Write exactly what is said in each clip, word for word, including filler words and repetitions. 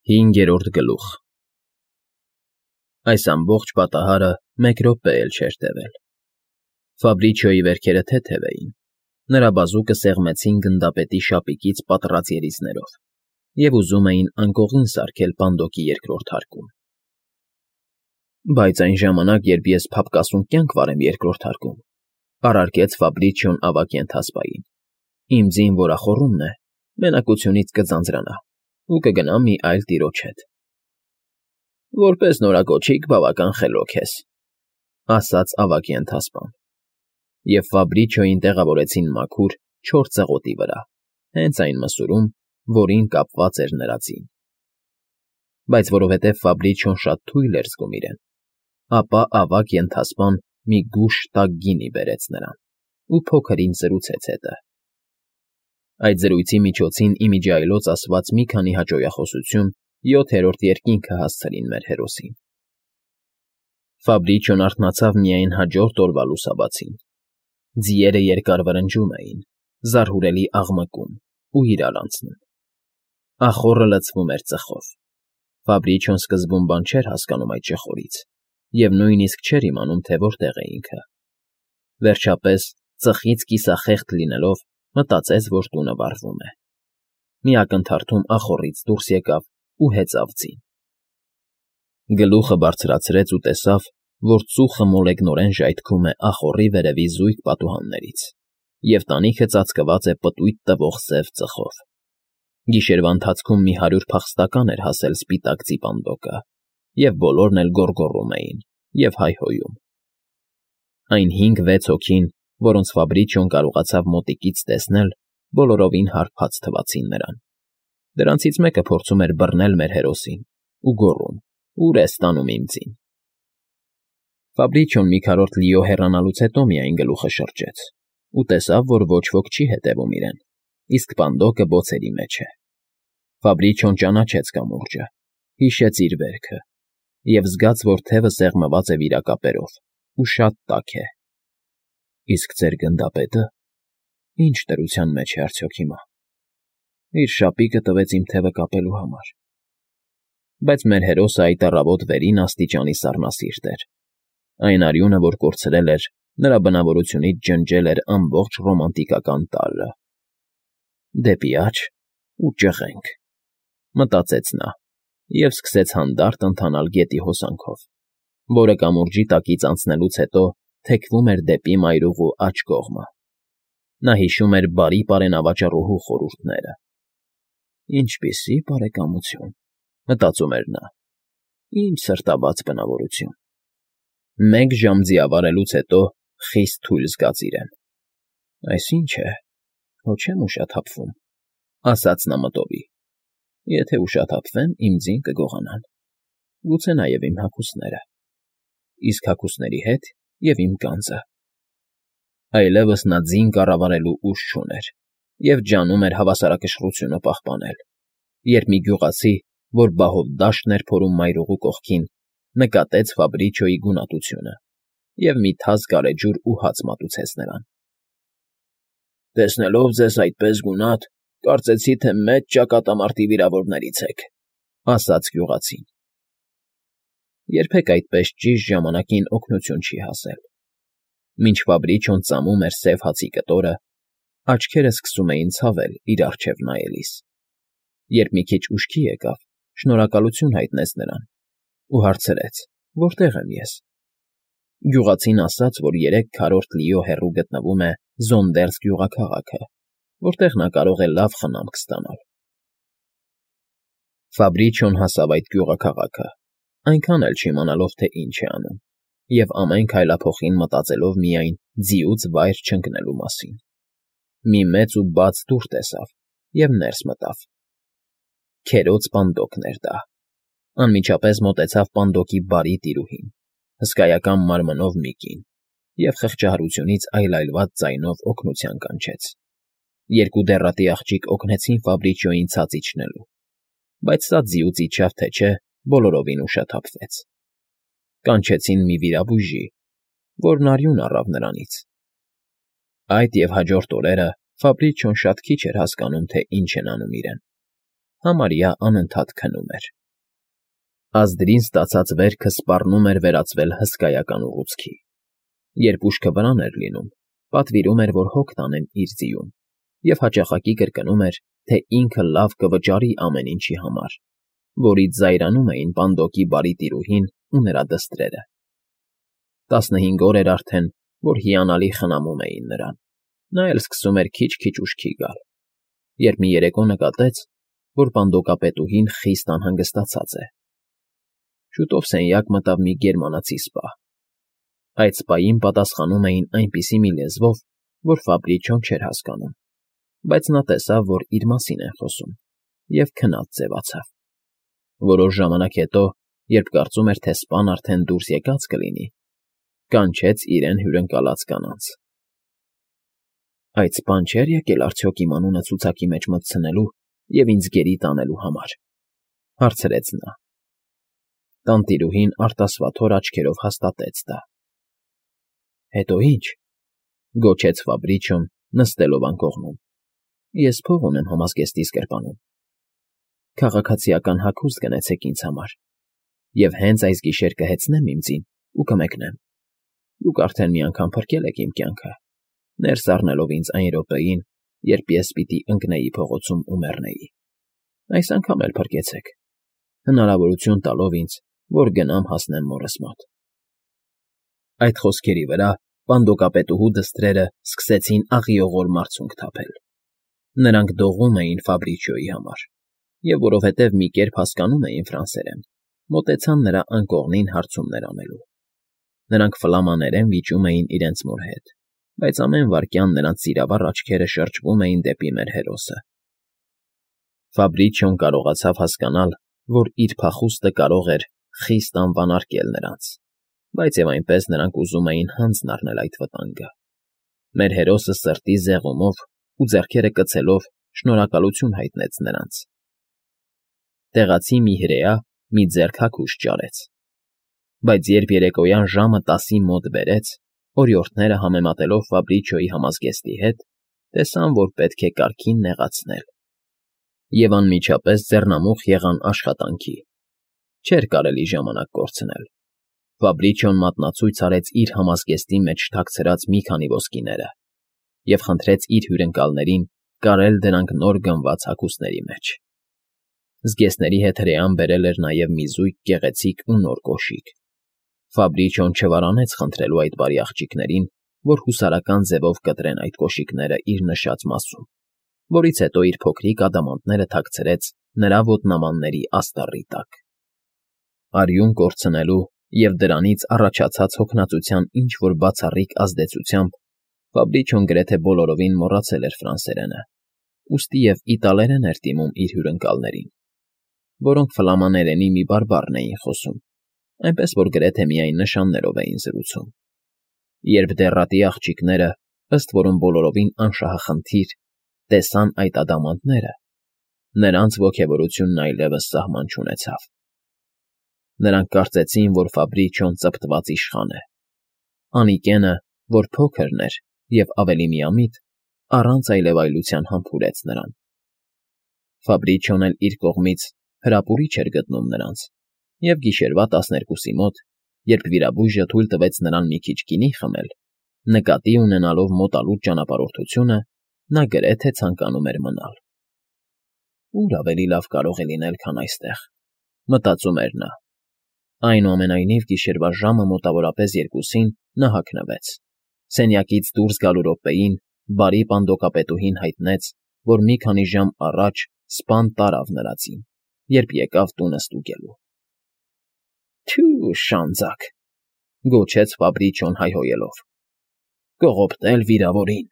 Հինգերորդ գլուխ Այս ամբողջ պատահարը մեկ րոպե էլ չէր տևել։ Ֆաբրիչիոյի վերքերը թեթև էին, նրա բազուկը սեղմեցին գնդապետի շապիկից պատռած երիձներով և ուզում էին անկողին սարքել պանդոկի երկրորդ հարկում։ Բայց այն ժամանակ, երբ ես փափկասուն կյանք վարեմ երկրորդ հարկում, առարկեց Ֆաբրիչիոն ավագ ենթասպային, իմ ձին որախոռումն է, մենակությունից կձանձրանա ու կգնա մի այլ տիրոջ հետ։ ֊ Որպես նորակոչիկ բավական խելոք ես,֊ ասաց ավագ ենթասպան, և Ֆաբրիչիոյին տեղավորեցին մաքուր, չոր ծղոտի վրա, հենց այն մսուրում, որին կապված էր նրա ձին։ Բայց որովհետև Ֆաբրիչիոն շատ թույլ էր զգում իրեն, ապա ավագ ենթասպան մի գուշ տաք գինի բերեց նրան ու փոքր֊ինչ զրուցեց հետը։ Այդ զրույցի միջոցին ի միջի այլոց ասված մի քանի հաճոյախոսություն յոթերորդ երկինքը հասցրին մեր հերոսին։ Ֆաբրիչիոն արթնացավ միայն հաջորդ օրվա լուսաբացին։ Ձիերը երկար վրնջում էին, զարհուրելի աղմկում ու իրար անցնում։ Ախոռը լցվում էր ծխով։ Ֆաբրիչիոն սկզբում բան չէր հասկանում այդ ճխորից և նույնիսկ չէր իմանում, թե որտեղ է ինքը։ Վերջապես, ծխից կիսախեղդ լինելով, մտածեց, որ տունը վառվում է։ Մի ակնթարթում ախոռից դուրս եկավ ու հեծավ ձին։ Գլուխը բարձրացրեց ու տեսավ, որ ծուխը մոլեգնորեն ժայթքում է ախոռի վերևի զույգ պատուհաններից, և տանիքը ծածկված է պտույտ տվող սև ծխով։ Գիշերվա ընթացքում մի հարյուր փախստական էր հասել սպիտակ ձի պանդոկը, և բոլորն էլ գոռգոռում էին և հայհոյում։ Այն հինգ֊վեց հոգին, որոնց Ֆաբրիչիոն կարողացավ մոտիկից տեսնել, բոլորովին հարբած թվացին նրան։ Դրանցից մեկը փորձում էր բռնել մեր հերոսին ու գոռում. «Ո՞ւր ես տանում իմ ձին»։ Ֆաբրիչիոն մի քառորդ լիո հեռանալուց հետո միայն գլուխը շրջեց ու տեսավ, որ ոչ ոք չի հետևում իրեն, իսկ պանդոկը բոցերի մեջ է։ Ֆաբրիչիոն ճանաչեց կամուրջը, հիշեց իր վերքը և զգաց, որ թևը սեղմված է վիրակապերով ու շատ տաք է։ Իսկ ձեր գնդապետը ի՞նչ դրության մեջ է արդյոք հիմա։ Իր շապիկը տվեց իմ թևը կապելու համար։ Բայց մեր հերոսը այդ առավոտ վերին աստիճանի սառնասիրտ էր։ Այն արյունը, որ կորցրել էր, նրա բնավորությունից ջնջել էր ամբողջ ռոմանտիկական տարրը։ «Դեպի աջ ու ճղենք», մտածեց նա և սկսեց հանդարտ ընթանալ գետի հոսանքով, որը կամուրջի տակից անցնելուց հետո թեքվում էր դեպի մայրուղու աջ կողմը։ Նա հիշում էր բարի պարենավաճառուհու խորհուրդները։ «Ինչպիսի՜ բարեկամություն,֊ մտածում էր նա,֊ ինչ սրտաբաց բնավորություն»։ Մեկ ժամ ձիավարելուց հետո խիստ թույլ զգաց իրեն։ «Այս ի՞նչ է, հո չեմ ուշաթափվում,֊ ասաց նա մտովի։ «Եթե ուշաթափվեմ, իմ ձին կգողանան, գուցե նաև իմ հագուստները, իսկ հագուստների հետ և իմ գանձը»։ Այլևս նա ձին կառավարելու ուժ չուներ և ջանում էր հավասարակշռությունը պահպանել, երբ մի գյուղացի, որ բահով դաշտն էր փորում մայրուղու կողքին, նկատեց Ֆաբրիչիոյի գունատությունը և մի թաս գարեջուր ու հաց մատուցեց նրան։ «Տեսնելով ձեզ այդպես գունատ, կարծեցի, թե մեծ ճակատամարտի վիրավորներից եք,֊ ասաց գյուղացին։ Երբեք այդպես ճիշտ ժամանակին օգնություն չի հասել։ Մինչ Ֆաբրիչիոն ծամում էր սև հացի կտորը, աչքերը սկսում էին ցավել իր առջև նայելիս։ Երբ մի քիչ ուշքի եկավ, շնորհակալություն հայտնեց նրան ու հարցրեց. «Որտե՞ղ եմ ես»։ Գյուղացին ասաց, որ երեք քառորդ լիո հեռու գտնվում է Զոնդերս գյուղաքաղաքը, որտեղ նա կարող է լավ խնամք ստանալ։ Ֆաբրիչիոն հասավ այդ գյուղաքաղաքը, այնքան էլ չիմանալով, թե ինչ է անում, և ամեն քայլափոխին մտածելով միայն ձիուց վայր չընկնելու մասին։ Մի մեծ ու բաց դուռ տեսավ և ներս մտավ։ Քերոծ պանդոկն էր դա։ Անմիջապես մոտեցավ պանդոկի բարի տիրուհին, հսկայական մարմնով մի կին, և խղճահարությունից այլայլված ձայնով օգնության կանչեց։ Երկու դեռատի աղջիկ օգնեցին Ֆաբրիչիոյին ցած իջնելու, բայց սա ձիուց իջավ թե չէ, բոլորովին ուշաթափվեց։ Կանչեցին մի վիրաբույժի, որն արյուն առավ նրանից։ Այդ և հաջորդ օրերը Ֆաբրիչիոն շատ քիչ էր հասկանում, թե ինչ են անում իրեն։ համարյա անընդհատ քնում էր։ Ազդրին ստացած վերքը սպառնում էր վերածվել հսկայական ուռուցքի։ Երբ ուշքը վրան էր լինում, պատվիրում էր, որ հոգ տանեն իր ձիուն, և հաճախակի կրկնում էր, թե ինքը լավ կվճարի ամեն ինչի համար, որից զայրանում էին Պանդոկի բարի տիրուհին ու նրա դստրերը։ Տասնհինգ օր էր արդեն, որ հիանալի խնամում էին նրան, նա էլ սկսում էր քիչ-քիչ ուշքի գալ, երբ մի երեկո նկատեց, որ պանդոկապետուհին խիստ անհանգստացած է։ Շուտով սենյակ մտավ մի գերմանացի սպա։ Այդ սպային պատասխանում էին այնպիսի մի լեզվով, որ Ֆաբրիչոն չէր հասկանում, բայց նա տեսավ, որ իր մասին են խոսում, և քնած ձևացավ։ Որոշ ժամանակ հետո, երբ կարծում էր, թե սպան արդեն դուրս եկած կլինի, կանչեց իրեն հյուրընկալած կանանց։ Այդ սպան չէ՞ր եկել արդյոք իմ անունը ցուցակի մեջ մտցնելու և ինձ գերի տանելու համար, հարցրեց նա։ Տանտիրուհին արտասվաթոր աչքերով հաստատեց դա։ Հետո ի՞նչ, գոչեց Ֆաբրիչոն, նստելով անկողնում։ Ես փող ունեմ համազգեստիս գրպանում։ Քաղաքացիական հագուստ գնեցեք ինձ համար, և հենց այս գիշեր կհեծնեմ իմ ձին ու կմեկնեմ։ Դուք արդեն մի անգամ փրկել եք իմ կյանքը, ներս առնելով ինձ այն րոպեին, երբ ես պիտի ընկնեի փողոցում ու մեռնեի։ Այս անգամ էլ փրկեցեք, հնարավորություն տալով ինձ, որ գնամ հասնեմ մորս մոտ։ Այդ խոսքերի վրա պանդոկապետուհու դստրերը սկսեցին աղիողոր մարցունք թափել։ Նրանք դողում էին Ֆաբրիչիոյի համար, և որովհետև մի կերպ հասկանում էին ֆրանսերեն, մոտեցան նրա անկողնին հարցումներ անելու։ Նրանք ֆլամաներեն վիճում էին իրենց մոր հետ, բայց ամեն վայրկյան նրանց սիրավառ աչքերը շրջվում էին դեպի մեր հերոսը։ Ֆաբրիչիոն կարողացավ հասկանալ, որ իր փախուստը կարող էր խիստ անվանարկել նրանց, բայց և այնպես նրանք ուզում էին հանձն առնել այդ վտանգը։ Մեր հերոսը սրտի զեղումով ու ձեռքերը կծելով շնորհակալություն հայտնեց նրանց։ Տեղացի մի հրեա մի ձեռք հագուստ ճարեց, բայց երբ երեկոյան ժամը տասի մոտ բերեց, օրիորդները համեմատելով Ֆաբրիչիոյի համազգեստի հետ, տեսան, որ պետք է կարգին նեղացնել, և անմիջապես ձեռնամուխ եղան աշխատանքի։ Չէր կարելի ժամանակ կորցնել։ Ֆաբրիչիոն մատնացույց արեց իր համազգեստի մեջ թաքցրած մի քանի ոսկիները և խնդրեց իր հյուրընկալներին կարել դրանք նոր գնված հագուստների մեջ։ Զգեստների հետ հրեան բերել էր նաև մի զույգ գեղեցիկ ու նոր կոշիկ։ Ֆաբրիչիոն չվարանեց խնդրելու այդ բարի աղջիկներին, որ հուսարական ձևով կտրեն այդ կոշիկները իր նշած մասում, որից հետո իր փոքրիկ ադամանդները թաքցրեց նրա ոտնամանների աստառի տակ։ Արյուն կորցնելու և դրանից առաջացած հոգնածության ինչ֊որ բացառիկ ազդեցությամբ Ֆաբրիչիոն գրեթե բոլորովին մոռացել էր ֆրանսերենը, ուստի և իտալերեն էր դիմում իր հյուրընկալներին, որոնք ֆլամաներենի մի բարբառն էին խոսում, այնպես որ գրեթե միայն նշաններով էին զրուցում։ Երբ դեռատի աղջիկները, ըստ որում բոլորովին անշահախնդիր, տեսան այդ ադամանդները, նրանց ոգևորությունն այլևս սահման չունեցավ։ Նրանք կարծեցին, որ Ֆաբրիչիոն ծպտված իշխան է։ Անիկենը, որ փոքրն էր և ավելի միամիտ, առանց այլևայլության համբուրեց նրան։ Ֆաբրիչիոն էլ իր կողմից հրապուրիչ էր գտնում նրանց, և գիշերվա տասներկուսի մոտ, երբ վիրաբույժը թույլ տվեց նրան մի քիչ գինի խմել, նկատի ունենալով մոտալուտ ճանապարհորդությունը, նա գրեթե ցանկանում էր մնալ։ Ուր ավելի լավ կարող է լինել, քան այստեղ, մտածում էր նա։ Այնուամենայնիվ գիշերվա ժամը մոտավորապես երկուսին նա հագնվեց։ Սենյակից դուրս գալու րոպեին բարի պանդոկապետուհին հայտնեց, որ մի քանի ժամ առաջ սպան տարավ նրա ձին, երբ եկավ տունը ստուգելու։ Թյո՛ւ, շանձակ,֊ գոչեց Ֆաբրիչիոն հայհոյելով,֊ կողոպտել վիրավորին։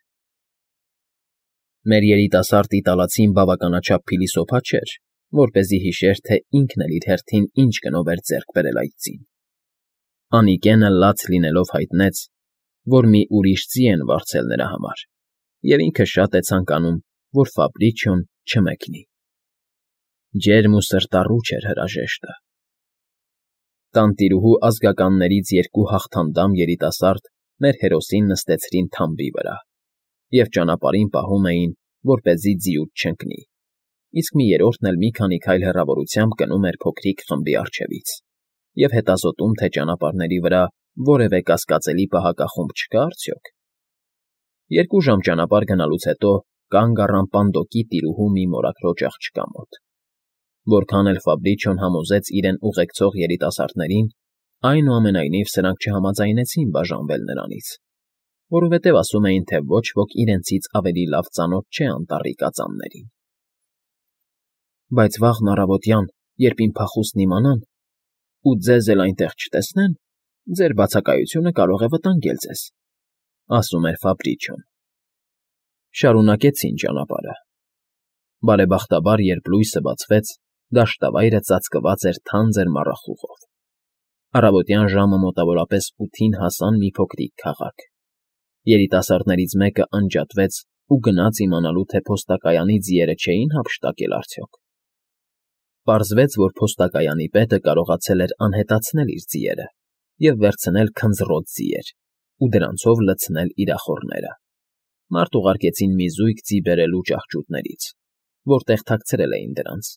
Մեր երիտասարդ իտալացին բավականաչափ փիլիսոփա չէր, որպեսզի հիշեր, թե ինքն էլ իր հերթին ինչ գնով էր ձեռք բերել այդ ձին։ Անիկենը լաց լինելով հայտնեց, որ մի ուրիշ ձի են վարձել նրա համար, և ինքը շատ է ցանկանում, որ Ֆաբրիչիոն չմեկնի։ Ջերմ ու սրտառուչ էր հրաժեշտը։ Տանտիրուհու ազգականներից երկու հաղթանդամ երիտասարդ մեր հերոսին նստեցրին թամբի վրա և ճանապարհին պահում էին, որպեսզի ձիուց չընկնի։ իսկ մի երրորդն էլ մի քանի քայլ հեռավորությամբ գնում էր փոքրիկ խմբի առջևից և հետազոտում, թե ճանապարհների վրա որևէ կասկածելի պահակախումբ չկա արդյոք։ Երկու ժամ ճանապարհ գնալուց հետո կանգ առան Պանդոկի տիրուհու մի մորաքրոջ աղջկա մոտ։ Որքան էլ Ֆաբրիչիոն համոզեց իրեն ուղեկցող երիտասարդներին, այնուամենայնիվ սրանք չհամաձայնեցին բաժանվել նրանից, որովհետև ասում էին, թե ոչ ոք իրենցից ավելի լավ ծանոթ չէ անտառի կածաններին։ Բայց վաղն առավոտյան, երբ իմ փախուստն իմանան, ու ձեզ էլ այնտեղ չտեսնեն, ձեր բացակայությունը կարող է վտանգել ձեզ, ասում էր Ֆաբրիչիոն։ Շարունակեցին ճանապարհը։ Բարեբախտաբար, երբ լույսը բացվեց, դաշտավայրը ծածկված էր թանձր մառախուղով։ Առավոտյան ժամը մոտավորապես ութին հասան մի փոքրիկ քաղաք։ Երիտասարդներից մեկը անջատվեց ու գնաց իմանալու, թե փոստակայանի ձիերը չէին հափշտակել արդյոք։ Պարզվեց, որ փոստակայանի պետը կարողացել էր անհետացնել իր ձիերը և վերցնել քնձռոտ ձիեր ու դրանցով լցնել իր ախոռները։ Մարդ ուղարկեցին մի զույգ ձի բերելու ճահճուտներից, որտեղ թաքցրել էին դրանց,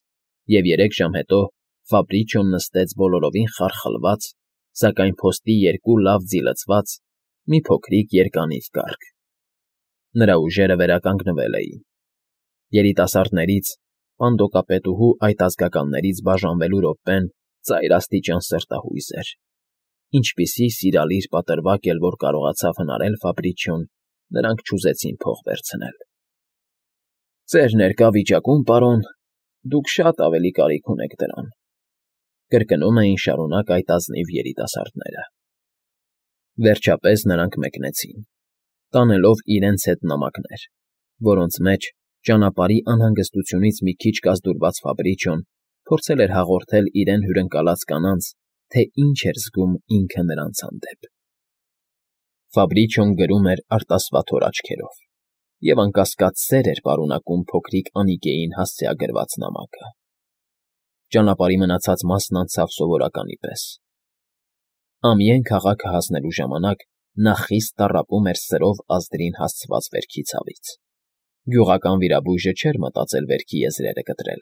և երեք ժամ հետո Ֆաբրիչիոն նստեց բոլորովին խարխլված, սակայն փոստի երկու լավ ձի լցված մի փոքրիկ երկանիվ կառք։ Նրա ուժերը վերականգնվել էին։ Երիտասարդներից, Պանդոկապետուհու այդ ազգականներից բաժանվելու րոպեն ծայրաստիճան սրտահույս էր, ինչպիսի սիրալիր պատրվակ էլ որ կարողացավ հնարել Ֆաբրիչիոն, նրանք չուզեցին փող վերցնել։ Ձեր ներկա վիճակում, պարոն, դուք շատ ավելի կարիք ունեք դրան, կրկնում էին շարունակ այդ ազնիվ երիտասարդները։ Վերջապես նրանք մեկնեցին, տանելով իրենց հետ նամակներ, որոնց մեջ ճանապարհի անհանգստությունից մի քիչ կազդուրված Ֆաբրիչիոն փորձել էր հաղորդել իրեն հյուրընկալած կանանց, թե ինչ էր զգում ինքը նրանց հանդեպ։ Ֆաբրիչիոն գրում էր արտասվաթոր աչքերով, և անկասկած սեր էր պարունակում փոքրիկ Անիկեին հասցեագրված նամակը։ Ճանապարհի մնացած մասն անցավ սովորականի պես։ Ամիեն քաղաքը հասնելու ժամանակ նա խիստ տառապում էր սրով ազդրին հասցված վերքի ցավից։ Գյուղական վիրաբույժը չէր մտածել վերքի եզրերը կտրել,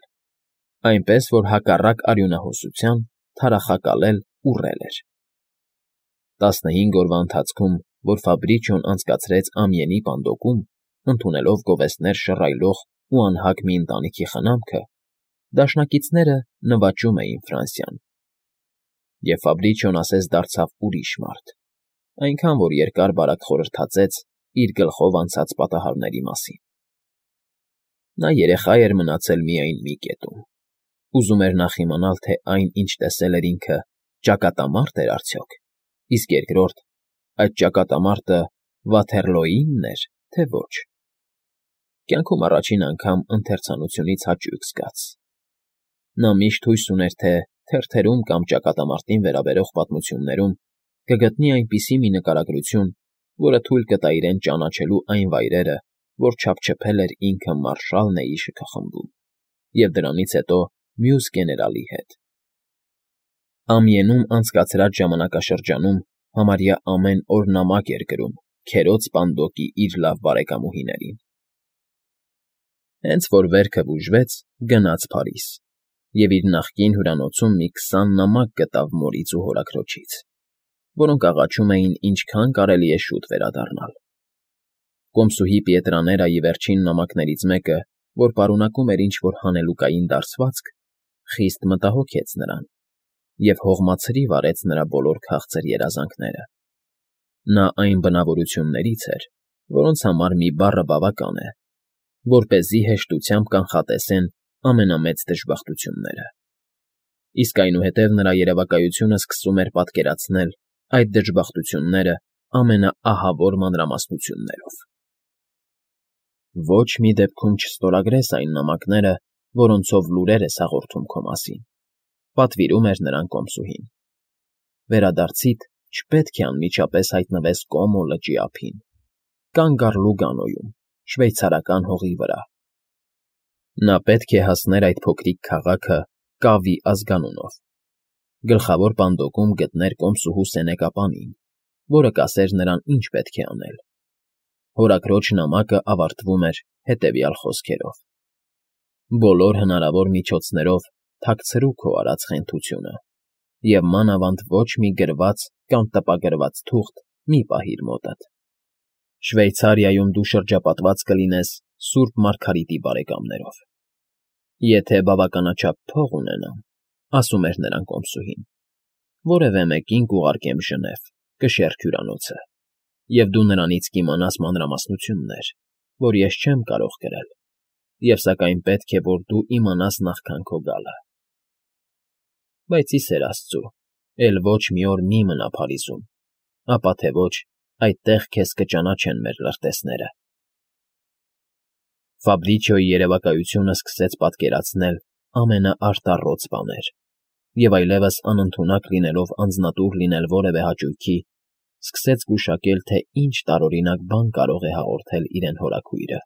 այնպես որ հակառակ արյունահոսության թարախակալել ուռել էր։ Տասնհինգ օրվա ընթացքում, որ Ֆաբրիչիոն անցկացրեց Ամիենի Պանդոկում, ընդունելով գովեստներ շռայլող ու անհագ մի ընտանիքի խնամքը, դաշնակիցները նվաճում էին Ֆրանսիան, և Ֆաբրիչիոն ասես դարձավ ուրիշ մարդ, այնքան որ երկար֊բարակ խորհրդածեց իր գլխով անցած պատահարների մասին։ Նա երեխա էր մնացել միայն մի կետում, ուզում էր նախ իմանալ, թե այն, ինչ տեսել էր ինքը, ճակատամա՞րդ էր արդյոք, իսկ երկրորդ, այդ ճակատամարտը Վաթերլոյինն էր, թե ոչ։ Կյանքում առաջին անգամ ընթերցանությունից հաճույք զգաց։ Նա միշտ հույս ուներ, թե թերթերում կամ ճակատամարտին վերաբերող պատմություններում կգտնի այնպիսի մի նկարագրություն, որը թույլ կտա իրեն ճանաչելու այն վայրերը, որ չափչփել էր ինքը մարշալ Նեի շքախմբում, և դրանից հետո մյուս գեներալի հետ։ Ամիենում անցկացրած ժամանակաշրջանում համարյա ամեն օր նամակ էր գրում քերոծ Պանդոկի իր լավ բարեկամուհիներին։ Հենց որ վերքը բուժվեց, գնաց Փարիզ և իր նախկին հյուրանոցում մի քսան նամակ գտավ մորից ու հորաքրոջից, որոնք աղաչում էին ինչքան կարելի է շուտ վերադառնալ։ Կոմսուհի Պիետրաներայի վերջին նամակներից մեկը, որ պարունակում էր ինչ-որ հանելուկային դարսվածք, խիստ մտահոգեց նրան և հողմացրիվ արեց նրա բոլոր քաղցր երազանքները։ Նա այն բնավորություններից էր, որոնց համար մի բառը բավական է, որպեսզի հեշտությամբ կանխատեսեն ամենամեծ դժբախտությունները։ Իսկ այնուհետև նրա երևակայությունը սկսում էր պատկերացնել այդ դժբախտությունները ամենաահավոր մանրամասնություններով։ Ոչ մի դեպքում չստորագրես այն նամակները, որոնցով լուրեր ես հաղորդում քո մասին, պատվիրում էր նրան կոմսուհին։ Վերադարձիդ չպետք է անմիջապես հայտնվես Կոմո լճի ափին, կանգ առ Լուգանոյում, շվեյցարական հողի վրա։ Նա պետք է հասներ այդ փոքրիկ քաղաքը Կավի ազգանունով, գլխավոր Պանդոկում գտներ կոմսուհու Սենեկապանին, որը կասեր նրան ինչ պետք է անել։ Հորաքրոջ նամակը ավարտվում էր հետևյալ խոսքերով. Բոլոր հնարավոր միջոցներով թաքցրու քո արած խենթությունը և մանավանդ ոչ մի գրված կամ տպագրված թուղթ մի պահիր մոտդ. Շվեյցարիայում դու շրջապատված կլինես սուրբ Մարգարիտի բարեկամներով։ Եթե բավականաչափ փող ունենամ, ասում էր նրան կոմսուհին, որևէ մեկին կուղարկեմ Ժնև, կշեռ հյուրանոցը, և դու նրանից կիմանաս մանրամասնություններ, որ ես չեմ կարող կրել, և սակայն պետք է, որ դու իմանաս նախքան քո գալը։ Բայց, ի սեր աստծու, էլ ոչ մի օր մի մնա Փարիզում, ապա թե ոչ այդտեղ քեզ կճանաչեն մեր լրտեսները… Ֆաբրիչիոյի երևակայությունը սկսեց պատկերացնել ամենաարտառոց բաներ և այլևս անընդունակ լինելով անձնատուր լինել որևէ հաճույքի, սկսեց գուշակել, թե ինչ տարօրինակ բան կարող է հաղորդել իրեն հորաքույրը։